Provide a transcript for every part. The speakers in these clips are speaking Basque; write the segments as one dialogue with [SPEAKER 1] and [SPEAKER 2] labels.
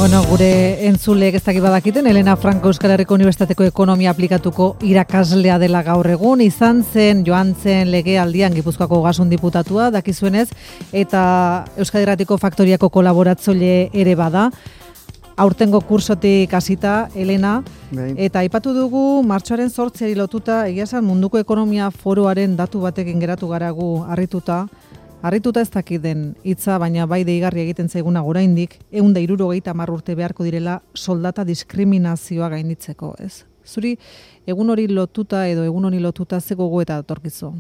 [SPEAKER 1] Bueno, gure entzuleek ez dakit badakiten, Elena Franco Euskal Herriko Unibertsitateko ekonomia aplikatuko irakaslea dela gaur egun, izan zen joan zen legealdian Gipuzkoako Ogasun diputatua, dakizuenez, eta Euskadi Irratiko Faktoriako kolaboratzaile ere bada. Aurtengo kursotik hasita, Elena, eta aipatu dugu martxoaren 8 lotuta, egia esan munduko ekonomia foroaren datu batekin geratu garagu harrituta ez dakit den hitza, baina bai deigarri egiten zaiguna oraindik 170 urte beharko direla soldata diskriminazioa gainditzeko, ez? Zuri egun hori lotuta ze gogoeta datorkizu?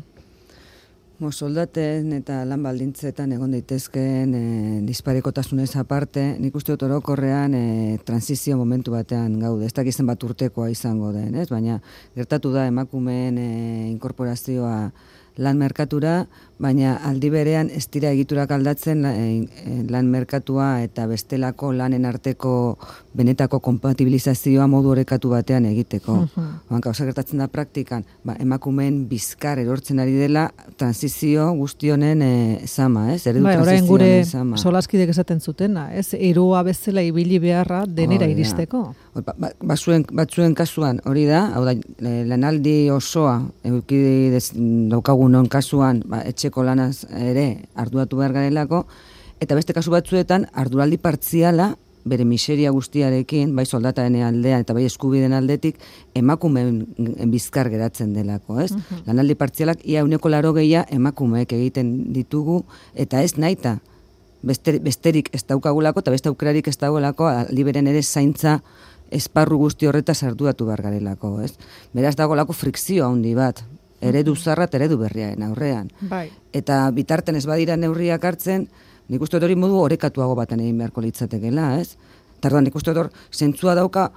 [SPEAKER 2] Soldaten eta lan baldintzetan egon daitezkeen disparekotasunez aparte, nik uste dut orokorrean transizio momentu batean gaude. Ez dakizen bat urtekoa izango den, ez? Baina gertatu da emakumeen inkorporazioa lan merkatura, baina aldi berean ez dira egiturak aldatzen lan merkatua eta bestelako lanen arteko benetako kompatibilizazioa modu orekatu batean egiteko. Gauza gertatzen da praktikan, emakumeen bizkar erortzen ari dela transizio guztionen zama, ez?
[SPEAKER 1] Orain gure solaskidek esaten zutena, ez? Eroa bezala ibili beharra denera iristeko.
[SPEAKER 2] Batzuen kasuan hori da, hau da, lanaldi osoa eduki daukagunon kasuan, etxeko lanaz ere arduratu behar garelako, eta beste kasu batzuetan arduraldi partziala bere miseria guztiarekin, bai soldataren aldean eta bai eskubideen aldetik, emakumeen bizkar geratzen delako, ez? Lanaldi partzialak ia 80% emakumeek egiten ditugu, eta ez nahita besterik ez daukagulako, eta beste aukerarik ez dagoelako, liberen ere zaintza esparru guzti horretaz arduratu behar garelako, ez? Beraz dagoelako frikzio handi bat, eredu zarra eta eredu berriaren aurrean.
[SPEAKER 1] Bai.
[SPEAKER 2] Eta bitarten ez badira neurriak hartzen, nik uste hori modu orekatuago baten egin beharko litzatekela, ez? Tarduan, nik uste hor zentzua dauka,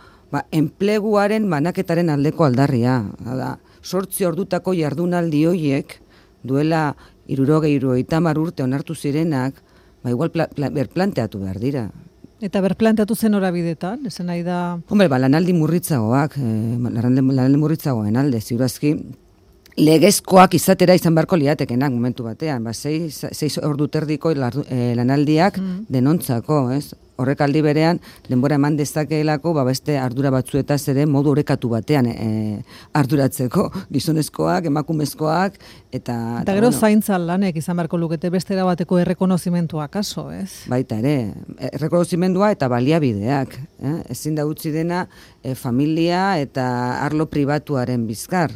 [SPEAKER 2] enpleguaren banaketaren aldeko aldarria. Da, 8 ordutako jardunaldi hoiek, duela 60 urte onartu zirenak, igual berplanteatu behar dira.
[SPEAKER 1] Eta berplanteatu zen horabidetan, esan nahi da...
[SPEAKER 2] Lanaldi murritzagoak, lanaldi murritzagoen alde, ziurazki, legezkoak izatera izan beharko liatekenak momentu batean, 6 ordu terdiko lanaldiak denontzako, ez? Horrek aldi berean, denbora eman dezakeelako, beste ardura batzuetaz ere modu orekatu batean arduratzeko, gizonezkoak, emakumezkoak, eta
[SPEAKER 1] gero zaintza lanek izan beharko lukete beste bateko errekonozimentua kaso, ez?
[SPEAKER 2] Baita ere, errekonozimendua eta baliabideak, ezin da utzi dena familia eta arlo pribatuaren bizkar.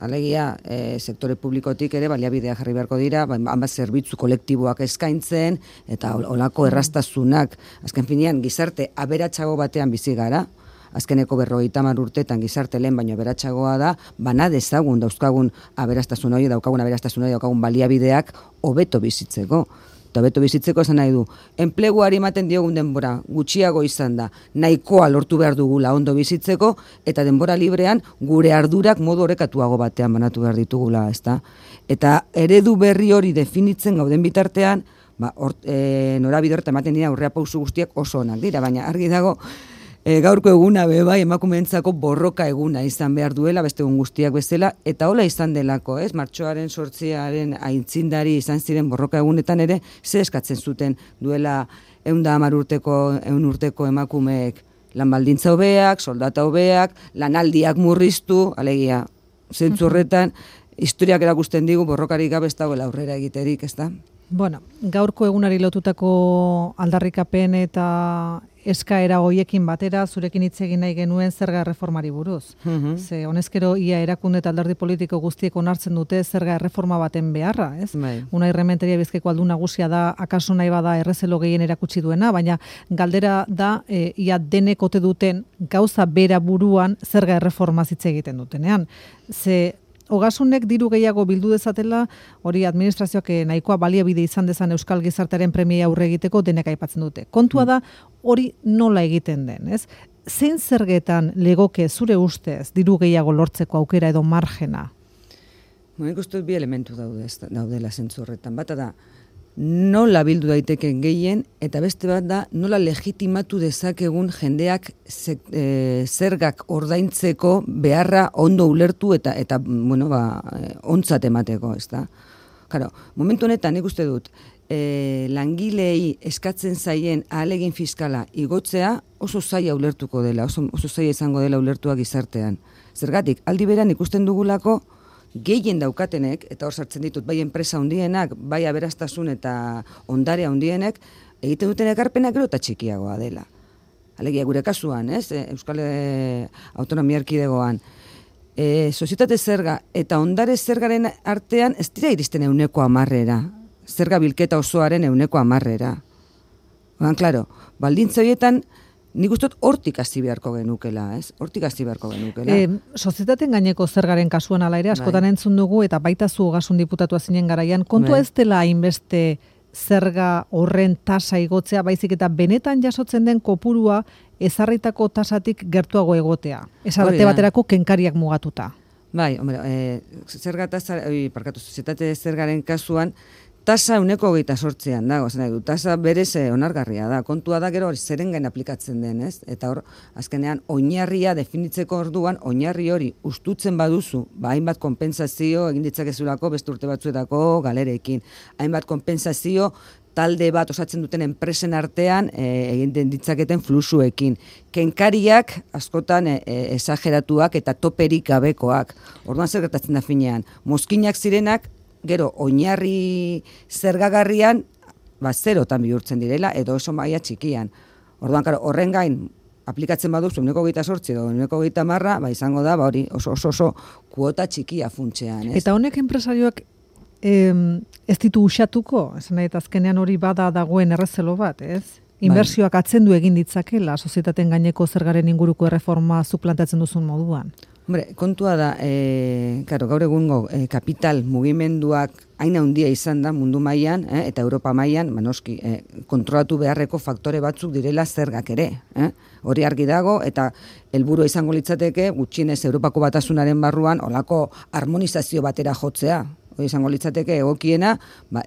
[SPEAKER 2] Alegia, sektore publikotik ere baliabideak jarri beharko dira, hanbat zerbitzu kolektiboak eskaintzen, eta olako errastasunak, azken finean, gizarte aberatsago batean bizi gara, azkeneko 50 urtetan gizarte lehen baino aberatsagoa da, bana dezagun dauzkagun aberastasun hori, daukagun baliabideak hobeto bizitzeko. Eta beto bizitzeko esan nahi du, enpleguari ematen diogun denbora gutxiago izan da, nahikoa lortu behar dugula ondo bizitzeko, eta denbora librean gure ardurak modu orekatuago batean banatu behar ditugula, ezta? Eta eredu berri hori definitzen gauden bitartean, norabide horretan ematen dira aurrea pausu guztiak oso onak dira, baina argi dago, gaurko eguna bai emakumeentzako borroka eguna izan behar duela, beste egun guztiak bezala, eta hola izan delako, ez? Martxoaren 8 aitzindari izan ziren borroka egunetan ere, ze eskatzen zuten duela 110 urteko emakumeek lan baldintza hobeak, soldata hobeak, lanaldiak murriztu, alegia, zentzu horretan, historiak erakusten digu borrokarik gabe ez dagoela aurrera egiterik, ez da?
[SPEAKER 1] Bueno, gaurko egunari lotutako aldarrikapen eta eskaera hoiekin batera, zurekin hitz egin nahi genuen zerga erreformari buruz. Ze honezkero ia erakunde eta alderdi politiko guztiek onartzen dute zerga erreforma baten beharra, ez? Unai Rementeria Bizkaiko aldun nagusia da, akaso nahi bada errezelo gehien erakutsi duena, baina galdera da ia denek ote duten gauza bera buruan zerga erreforma hitz egiten dutenean. Ze Ogasunek diru gehiago bildu dezatela, hori administrazioak nahikoa baliabide izan dezan euskal gizartearen premia aurre egiteko denek aipatzen dute. Kontua da hori nola egiten den, ez? Zein zergetan legoke zure ustez diru gehiago lortzeko aukera edo margena?
[SPEAKER 2] Nik uste bi elementu daudela zentzu horretan. Bata da, nola bildu daiteken gehien, eta beste bat da, nola legitimatu dezakegun jendeak zergak ordaintzeko beharra ondo ulertu eta ontzat emateko, ez da? Claro, momentu honetan nik uste dut, langilei eskatzen zaien ahalegin fiskala igotzea oso zaila ulertuko dela, oso zaila izango dela ulertua gizartean. Zergatik, aldi beran ikusten dugulako gehien daukatenek, eta hor sartzen ditut, bai enpresa handienak, bai aberastasun eta ondare handienek, egiten duten ekarpenak gero eta txikiagoa dela. Alegia gure kasuan, Euskal Autonomia Erkidegoan. Sozietate zerga eta ondare zergaren artean ez dira iristen 100%, zerga bilketa osoaren 100%. Claro, baldintza horietan nik uste dut hortik hasi beharko genukela, Hortik hasi beharko genukela.
[SPEAKER 1] Sozietateen gaineko zergaren kasuan ala ere, askotan entzun dugu, eta baita zu Ogasun diputatua zinen garaian, kontua ez dela hainbeste zerga horren tasa igotzea, baizik eta benetan jasotzen den kopurua ezarritako tasatik gertuago egotea. Esate baterako kenkariak mugatuta.
[SPEAKER 2] Bai, hombre, zerga tasa, sozietate zergaren kasuan, tasa 128an dago, tasa berez onargarria da. Kontua da gero zeren gain aplikatzen den, Eta hor, azkenean, oinarria definitzeko orduan, oinarri hori ustutzen baduzu, hainbat konpentsazio egin ditzakezulako beste urte batzuetako galerekin. Hainbat konpentsazio talde bat osatzen duten enpresen artean egin ditzaketen fluxuekin. Kenkariak askotan esageratuak eta toperik gabekoak. Orduan zer gertatzen da finean. Mozkinak zirenak, gero, oinarri zergagarrian, zerotan bihurtzen direla, edo oso maila txikian. Orduan, horren gain, aplikatzen baduzu, 128 edo 130, izango da, hori oso kuota txikia funtsean.
[SPEAKER 1] Eta honek enpresarioak ez ditu usatuko, esan nahi, azkenean hori bada dagoen errezelo bat, Inbertsioak atzendu egin ditzakela, sozietateen gaineko zergaren inguruko erreforma zuk planteatzen duzun moduan.
[SPEAKER 2] Hombre, kontua da, gaur egungo kapital mugimenduak hain handia izan da mundu mailan eta Europa mailan, noski, kontrolatu beharreko faktore batzuk direla zergak ere. Hori argi dago, eta helburua izango litzateke, gutxienez Europako Batasunaren barruan, olako harmonizazio batera jotzea. Hori izango litzateke egokiena,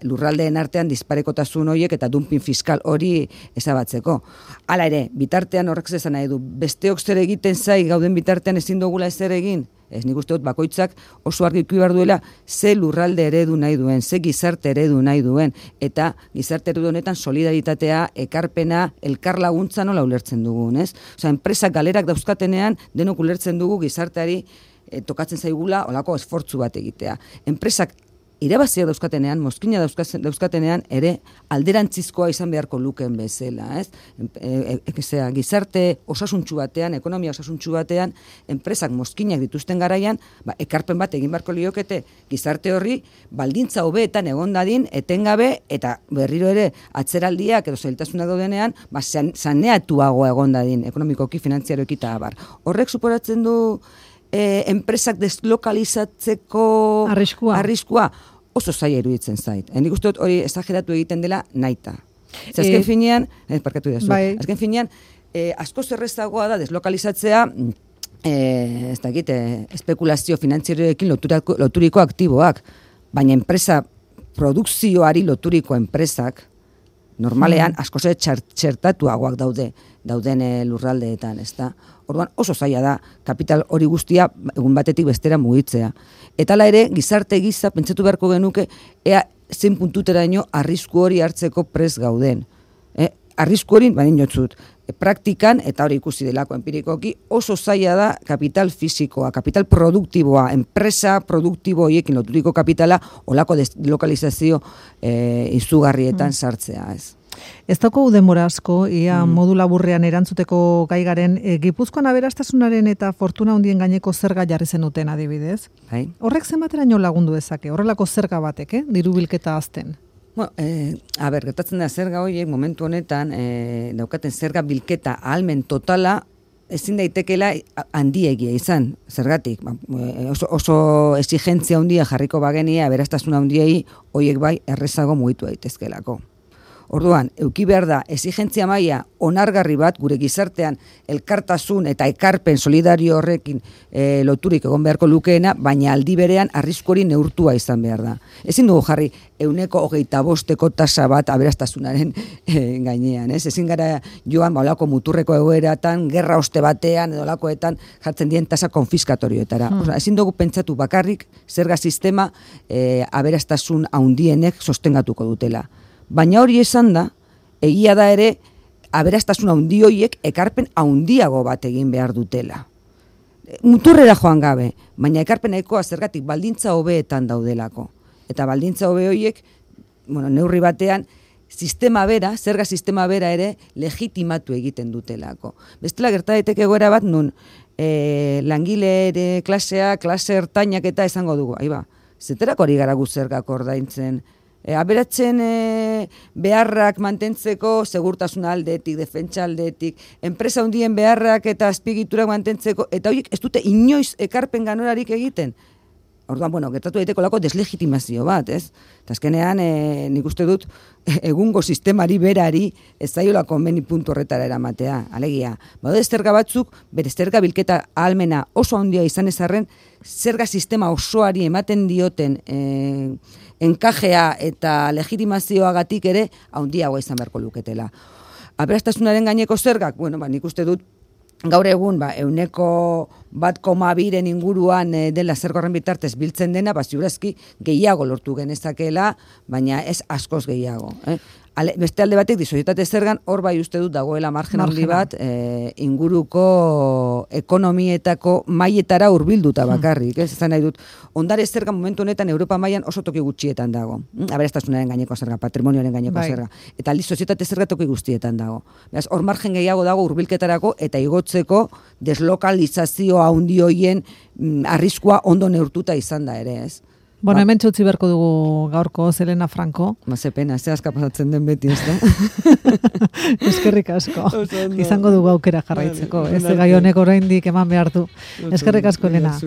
[SPEAKER 2] lurraldeen artean disparekotasun horiek eta dumping fiskal hori ezabatzeko. Hala ere, bitartean horrek zezan nahi du, besteok zer egiten zai gauden bitartean ezin dugula ezer egin, nik uste dut bakoitzak oso argi ikusi behar duela ze lurralde eredu nahi duen, ze gizarte eredu nahi duen, eta gizarte eredu honetan solidaritatea, ekarpena, elkar laguntza nola ulertzen dugun, Osea, enpresak galerak dauzkatenean denok ulertzen dugu gizarteari tokatzen zaigula olako esfortzu bat egitea. Enpresak irabaziak dauzkatenean, mozkina dauzkatenean, ere alderantzizkoa izan beharko lukeen bezala, gizarte osasuntsu batean, ekonomia osasuntsu batean, enpresak mozkinak dituzten garaian, ekarpen bat egin beharko liokete gizarte horri, baldintza hobeetan egon dadin, etengabe, eta berriro ere atzeraldiak edo zailtasunak daudenean, saneatuago egon dadin, ekonomikoki, finantziaroki eta abar. Horrek suporatzen du enpresak deslokalizatzeko arriskua oso zaila iruditzen zait. Nik uste dut hori esageratu egiten dela nahita. Azken finean, azken finean, asko zerrezagoa da deslokalizatzea espekulazio finantzieroekin loturiko aktiboak, baina enpresa produkzioari loturiko enpresak normalean asko txertatuagoak dauden lurraldeetan, ezta? Orduan oso zaila da kapital hori guztia egun batetik bestera mugitzea. Eta hala ere, gizarte giza pentsatu beharko genuke ea zein puntuteraino arrisku hori hartzeko prest gauden. Arrisku hori, dinotzut, praktikan, eta hori ikusi delako empirikoki, oso zaila da kapital fisikoa, kapital produktiboa, enpresa produktibo horiekin loturiko kapitala olako deslokalizazio izugarrietan sartzea,
[SPEAKER 1] Ez dauko denbora asko, ia modu laburrean erantzuteko gai garen, Gipuzkoan aberastasunaren eta fortuna handien gaineko zerga jarri zenuten adibidez. Horrek zenbateraino lagundu dezake, horrelako zerga batek, diru bilketa azten?
[SPEAKER 2] Gertatzen da zerga horiek momentu honetan daukaten zerga bilketa ahalmen totala ezin daitekela handiegia izan, zergatik. Oso exigentzia handia jarriko bagenia aberastasuna handiei horiek bai errezago mugitu daitezkelako. Orduan, eduki behar da, exigentzia maila onargarri bat, gure gizartean elkartasun eta ekarpen solidario horrekin loturik egon beharko lukeena, baina aldi berean arrisku hori neurtua izan behar da. Ezin dugu jarri 125% tasa bat aberastasunaren gainean, Ezin gara joan olako muturreko egoeratan, gerra oste batean, edo olakoetan jartzen dien tasa konfiskatorioetara. Ezin dugu pentsatu bakarrik zerga sistema aberastasun handienek sostengatuko dutela. Baina hori esan da, egia da ere, aberastasun handi horiek ekarpen handiago bat egin behar dutela. Muturrera joan gabe, baina ekarpenaikoa zergatik baldintza hobeetan daudelako. Eta baldintza hobe horiek, neurri batean, zerga sistema bera ere legitimatu egiten dutelako. Bestela gerta daiteke egoera bat nun langile klasea, klase ertainak eta esango dugu. Zeterak hori gara gu zergak ordaintzen. Aberatzen beharrak mantentzeko segurtasun aldetik, defentsa aldetik, enpresa hundien beharrak eta azpiegiturak mantentzeko, eta horiek ez dute inoiz ekarpen ganorarik egiten. Orduan, gertatu daiteko lako deslegitimazio bat, ez? Eta azkenean, nik uste dut, egungo sistemari berari ez zaiola konbeni puntu horretara eramatea. Alegia, badaude zerga batzuk, bere zerga bilketa ahalmena oso handia izan ezarren, zerga sistema osoari ematen dioten enkajea eta legitimazioagatik ere handiagoa izan beharko luketela. Aberastasunaren gaineko zergak, nik uste dut, gaur egun, 1,2 inguruan dela zerga horren bitartez biltzen dena, ziurazki gehiago lortu genezakela, baina ez askoz gehiago. Beste alde batek, disozietate zergan, hor bai uste dut dagoela margen handi bat, inguruko ekonomietako mailetara hurbilduta bakarrik. Ezan nahi dut, ondare zerga momentu honetan Europa mailan oso toki gutxietan dago. Aberastasunaren gaineko zerga, patrimonioaren gaineko zerga. Eta aldiz sozietate zerga toki guztietan dago. Beraz, hor margen gehiago dago hurbilketarako eta igotzeko deslokalizazio handi hoien arriskua ondo neurtuta izan da ere, ez?
[SPEAKER 1] Hemen txutzi berko dugu gaurko Elena Franco.
[SPEAKER 2] Ze pena, ze aska pasatzen den beti, ez da?
[SPEAKER 1] Eskerrik asko. Izango dugu aukera jarraitzeko. Ez gai honek oraindik eman behar du. Eskerrik asko, Elena.